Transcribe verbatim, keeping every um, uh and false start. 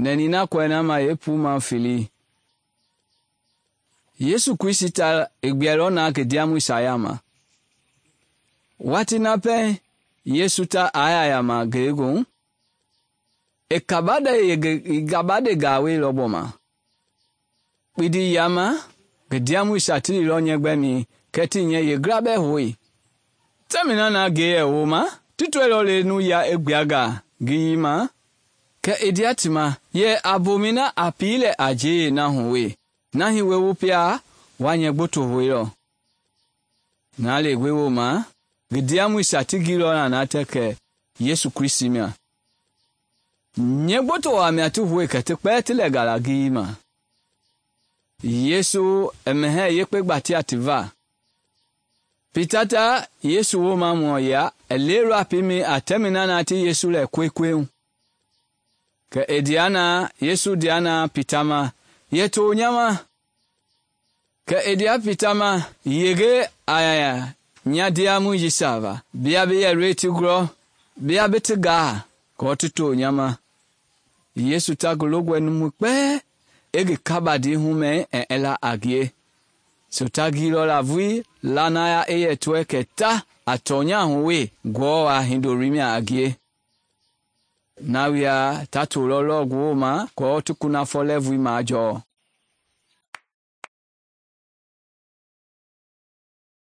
nɛni na kɔɛ na ma yeepuma fili. Yesu Kristi ta i gbɛlɔ na ngi ndiamɔisia yama. Watii na pɛɛ Yesu ta aya yama ngelegoohu, i kabande i kabande gaawelɔ gbɔma. Kpindi yama ngi ndiamɔisia ti lilɔ nyɛgbɛmi kɛ ti nyɛ yeegla bɛɛ hoe. Tɛmina na nge yɛ wooma, ti tɔilɔ le nu ya i gbianga ngi yima, kɛ i ndia ti ma yɛ a bomɛi na a pii lɛ a njee na hu we. Na hi we wu pia wa nyɛ gboto hoelɔ. Na le gbe wooma, ngi ndiamɔisia ti gilɔ na na tɛ kɛ Yesu Kristi mia. Nyɛ gboto wa mia ti hoe kɛ ti kpɛɛ ti lɛ gala ngi yima. Yesu i mɛhɛɛ yekpe gbatia ti va. Pita ta Yesu wooma mɔ ya i leelɔ pimi a tɛmina na ti Yesu lɛ kwekwehu. Kɛ i ndia na Yesu ndia na Pita ma, yɛ to nyama. Kɛ i ndia Pita ma, yege a nya ndiamɔisia va. Bia bi yɛ loi ti gulɔ, bia bi ti gaa, kɔɔ ti to nyama. Yesu ta ngi longɔe numu kpɛɛ i ngi kabandi humɛ ɛ i la a ngie. So ta gilɔ la vui lanaya i yɛ tɔɛ kɛ ta a tɔnya hu we ngɔɔ a hindoloi mia a ngie. Na wia ta tolɔ lɔ ngi wooma kɔɔ ti kunafɔ lɛɛvui majɔɔ.